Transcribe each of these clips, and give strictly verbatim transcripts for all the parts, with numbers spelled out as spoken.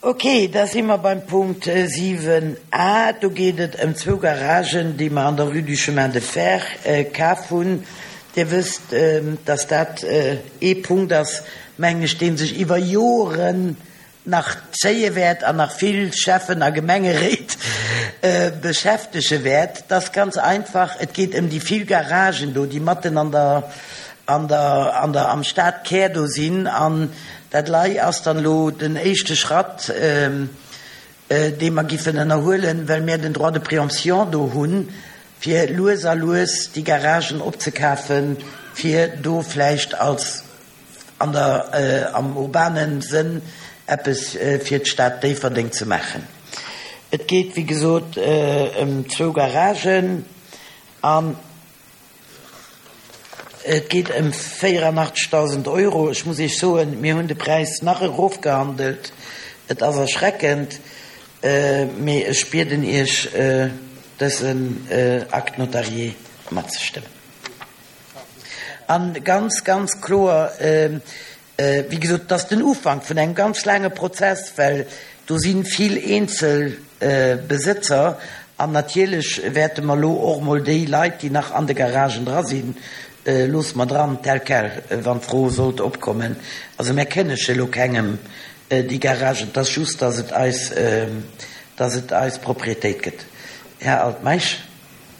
Ok, da si mer beim Punkt siwen A. Do geet et ëm zwou Garagen, déi mer an der Rue du Chemin de Fer kaf hunn. Dir wësst, dass dat ee Punkt ass, mengen ech, dee sech iwwer Joren nach zéie wäert an nach vill Schäffen a Gemengeréit beschäftege wäert. Dat ass ganz einfach, et geet ëm déi vill Garagen do, déi matten an der, an der, an der, am Stadkär do sinn. An dat lei ass dann elo den éischte Schratt, dee mer giffen ënnerhuelen, well mir den Droit de préemption do hunn, fir lues a lues déi Garagen opzekafen, fir do vläicht als an der, am urbane Sënn eppes fir d'Stad Déifferdeng ze maachen. Et geet, wéi gesot, ëm zwou Garagen an et geet ëm véierannachtzegdausend Euro. Ech muss Iech soen, mir hunn de Präis nach erofgehandelt. Et ass erschreckend, mee ech bieden Iech, dësen Acte notarié matzestëmmen. A ganz, ganz kloer, wéi gesot, et ass den Ufank vun engem ganz laange Prozess, well do si vill eenzel Besëtzer an natierlech wäerte mer elo och emol déi Leit, déi nach an de Garagen dra sinn, loosse mer dran, tel quel, wann d'Fro sollt opkommen. Also mär kënnege elo kengem déi Garagen, et ass just, dass et eis, dass et eis Propriétéit gëtt. Här Altmeisch.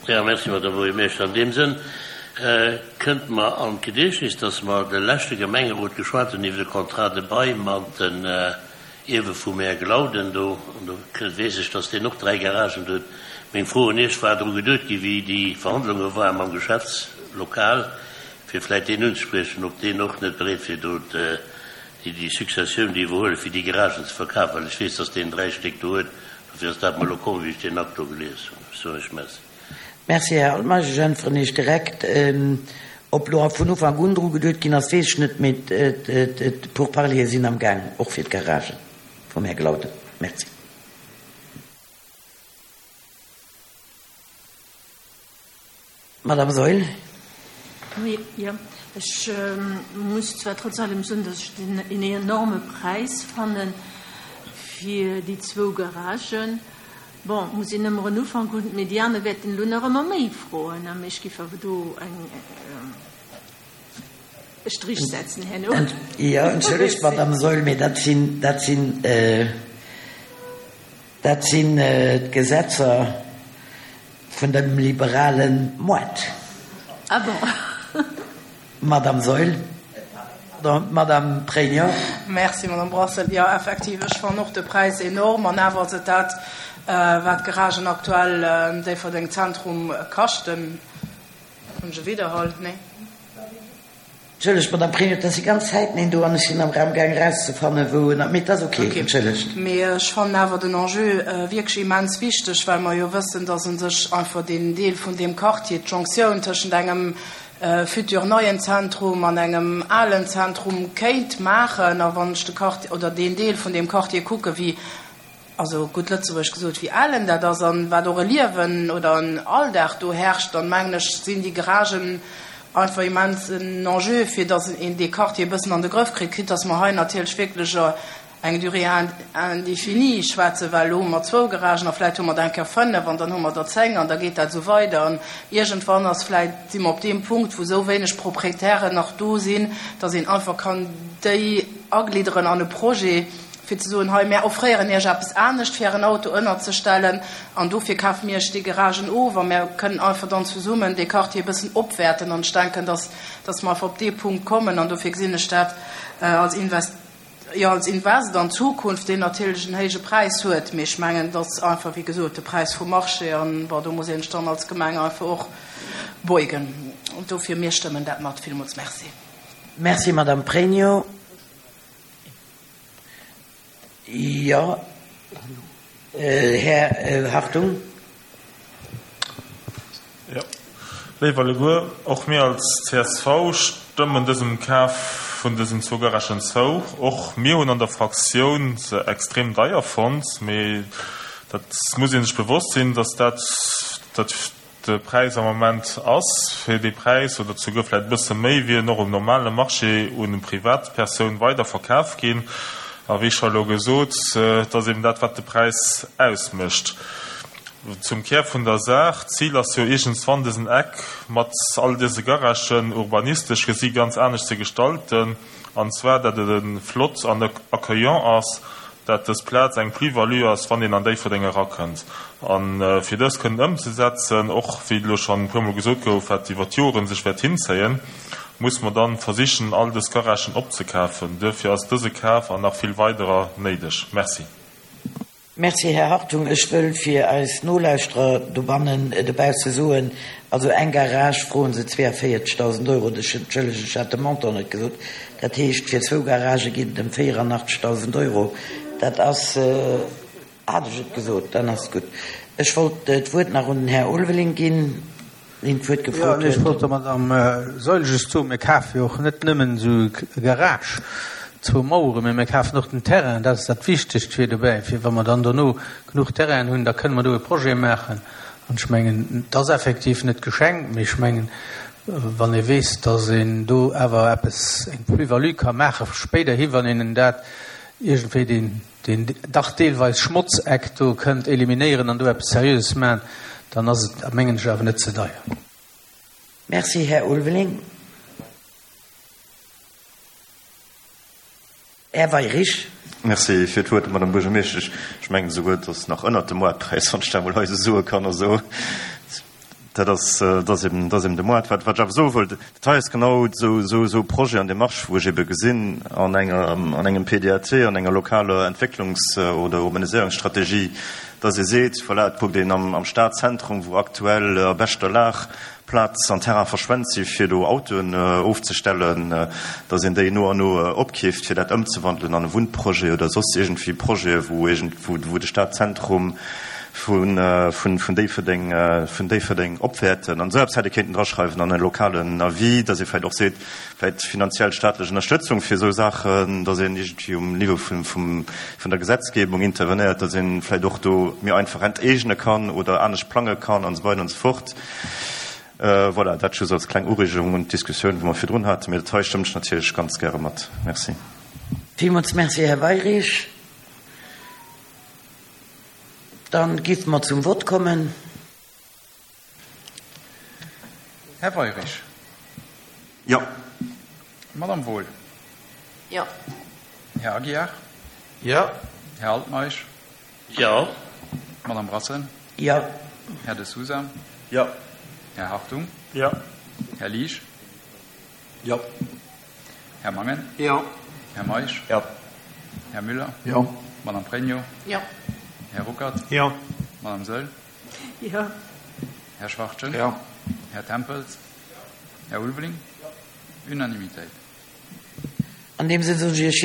Jo, merci, Madame Buergermeeschter. An deem Sënn kënnt mer an d'Gediechtnis, dass mer de leschte Gemengerot geschwat hunn iwwer de Contrat de bail mat den Ierwe vum Här Glauden do. An do weess ech, dass deen och dräi Garagen huet. Meng Fro un Iech, War dru geduet gi wéi déi Verhandlunge ware mam Geschäftslokal, fir vläicht deen unzespriechen, ob deen och net bereet wier, do déi Successioun, déi iwwerhuelen, fir déi Garagen ze verkafen? Well ech weess, dass deen dräi Stéck do huet. Dofir ass dat mer elo komm, wéi ech deen Akt do gelies hunn. Ech soen Iech Merci. Merci, Här Altmeisch. Ech äntweren Iech direkt. Ob elo vun Ufank un dru geduet ginn ass, weess ech net, mee d'Pourparlere sinn am Gaang, och fir d'Garagen vum Här Glauden. Merci. Madame Saeul. Oui, jo. Ech muss zwar trotz allem soen, dass ech den en enorme Präis fanne fir déi zwou Garagen. Bon, muss een ëmmer en Ufank hunn, mee déi aner wäerten elo nach ëmmer méi froen, a mee ech géif awer do eng e Strich setzen herno. Jo, entschëllegt, Madame Saeul, mee dat sinn, dat sinn, dat sinn d'Gesetzer vun dem liberale Moart. Ah bon. Madame Saeul. Pardon, Madame Pregno. Merci, Madame Brassel. Jo, effektiv, ech fannen och de Präis enorm. An awer ass et dat, wat d'Garagen aktuell am Déifferdeng Zentrum kaschten. Hunn ech e Widderhall? Nee. Entschëllegt, Madame Pregno, et ass déi ganz Zäit neen do an ech sinn am Raum gaang erauszefannen, wou en. Mee et ass okay, entschëllegt. Mee ech fannen awer den Enjeu wierklech immens wichteg, well mer jo wëssen, dass u sech einfach deen Deel vun deem Quartier, d'Jonctioun tëschent engem futur neien Zentrum an engem alen Zentrum kéint maachen. A wann ech de Quartier oder deen Deel vun deem Quartier kucken, wéi, also gutt Lëtzebuergesch gesot, wéi ellen dat ass an wat och e Liewen oder en Alldag do herrscht, dann mengen ech, sinn déi Garagen einfach immens en Enjeu, fir dass een dee Quartier e bëssen an de Grëff kritt, quitte dass mer hei natierlech wierklech eng Durée indéfinie schwätzen, well elo hu mer zwou Garagen a vläicht hu mer der eng Kéier fënnef an dann hu mer der zéng an da geet dat esou weider. An iergendwann ass vläicht, si mer op deem Punkt, wou esou wéineg Proprietären nach do sinn, dass een einfach kann déi aglidderen an e Projet, fir ze soen, hei, mär offréieren Iech eppes anescht, fir Ären Auto ënnerzestellen an dofir kafe mir Iech déi Garagen of a mär kënnen einfach dann zesummen dee Quartier e bëssen opwäerten. An ech denken, dass, dass mer einfach op dee Punkt kommen an dofir gesinn ech dat als Invest, jo, als Invest an d'Zukunft, deen natierlech en héije Präis huet, mee ech mengen, dat ass einfach, wéi gesot, de Präis vum Marché an, bon, do muss een sech dann als Gemeng einfach och beugen. Dofir, mir stëmmen dat mat. Villmools Merci. Merci, Madame Pregno. Jo, Här Hartung. Jo, léif alleguer, och mir als C S V stëmmen dësem Kaf vun dësen zwou Garagen zou. Och mir hunn an der Fraktioun se extrem deier fonnt, mee dat muss ee sech bewosst sinn, dass dat dat de Präis am Moment ass. Fir dee Präis oder souguer vläicht e bësse méi wier en och um normale Marché un Privatpersoun weider verkaf ginn. A wéi scho elo gesot, et ass eben dat, wat de Präis ausmécht. Zum Kär vun der Saach, D'Zil ass jo iergendswann dësen Eck mat all dëse Garagen urbanistesch gesi ganz anescht ze gestalten, an zwar dat et e flott an accueillant ass, dat dës Plaz eng Plus-value ass, wann een an Déifferdeng erakënnt. A fir dës kënnen ëmzesetzen, och wéi elo schonn e puermol gesot gouf, wat iwwer d'Joren sech wäert hinzéien, muss mer dann versichen, all dës Garagen opzekafen. Duerfir ass dëse Kaf an nach vill weiderer néideg. Merci. Merci, Här Hartung. Ech wëll fir eis Nolauschterer dobannen, dobausse soen, also eng Garage froen se zweeënvéierzegdausend Euro, ech entschëllegen, ech hat de Montant net gesot, dat heescht fir zwou Garagë geet et ëm véierannachtzegdausend Euro. Dat ass, hat ech et gesot, dann ass et gutt. Ech wollt d'Wuert nach un den Här Ulveling ginn. deen d'Wuert gefrot Jo, ech huet. wollt der Madame Saeul just soen, mir kafe jo och net nëmmen esou e Garage, zwou Maueren, mä mir kafen och den Terrain. Dat ass dat Wichtegst fir dobäi, fir wa mer dann dono genuch Terrainen hunn, da kënne mer do e Projet maachen. An ech mengen, et ass effektiv net geschenkt, mä ech mengen, wann ee weess, datt een do awer eppes, eng Plus-value ka maache spéiderhi, wann een dat iergendwéi deen, deen dach deelweis Schmotzeck do kënnt eliminéieren an do eppes Seriöses maachen, dann ass et, mengen ech, awer net ze deier. Merci, Här Ulveling. Här Weyrich. Merci fir d'Wuert, Madame Buergermeeschtesch. Ech mengen esouguer, et ass nach ënnert dem Moartpräis, wann ech dat emol hei esou soe kann. Also dat ass, dat ass eben, dat ass eben de Moart. Wat, wat ech awer soe wollt, dat hei ass genau esou, esou, esou e Projet an Démarche, wou ech ebe gesinn an enger, an engem P D A T, an enger lokaler Entwécklungs oder Urbaniséierungsstrategie, dass ee seet, voilà, et kuckt een am, am Stadzentrum, wou aktuell a beschter Lag Plaz an Terrain verschwent si fir do Autoen ofzestellen, dass een déi no an no opkeeft, fir dat ëmzewandelen an e Wunnprojet oder soss iergendwéi Projete, wou iergend, wou, wou de Stadzentrum vun, vun, vun Déifferdeng, vun Déifferdeng opwäerten. An esou eppes hätt ee kéinten draschreiwen an e lokalen Avis, dass ee vläicht och seet, vläicht finanziell staatlech Ënnerstëtzung fir esou Saachen, dass een iergendwéi um Niveau vun, vum, vun der Gesetzgebung intervenéiert, dass een vläicht och do méi einfach enteegne kann oder anescht plange kann an esou weider an esou fort. Voilà, dat just als kleng Ureegung un d'Diskussioun, wou mer virdrun haten. Mee dat hei stëmmt ech natierlech ganz gäre mat. Merci. Villmools Merci, Här Weyrich. Dann géife mer zum Vott kommen. Här Weyrich. Jo. Madame Wohl. Jo. Här Aguiar. Jo. Här Altmeisch. Jo. Madame Brassen. Jo. Här De Sousa. Jo. Här Hartung. Jo. Här Liesch. Jo. Här Mangen. Jo. Här Meisch. Jo. Här Müller. Jo. Madame Pregno. Jo. Här Ruckert. Jo. Madame Saeul. Jo. Här Schwachtgen. Jo. Här Tempels. Här Ulveling. Unanimitéit. An deem Sënn soen ech Iech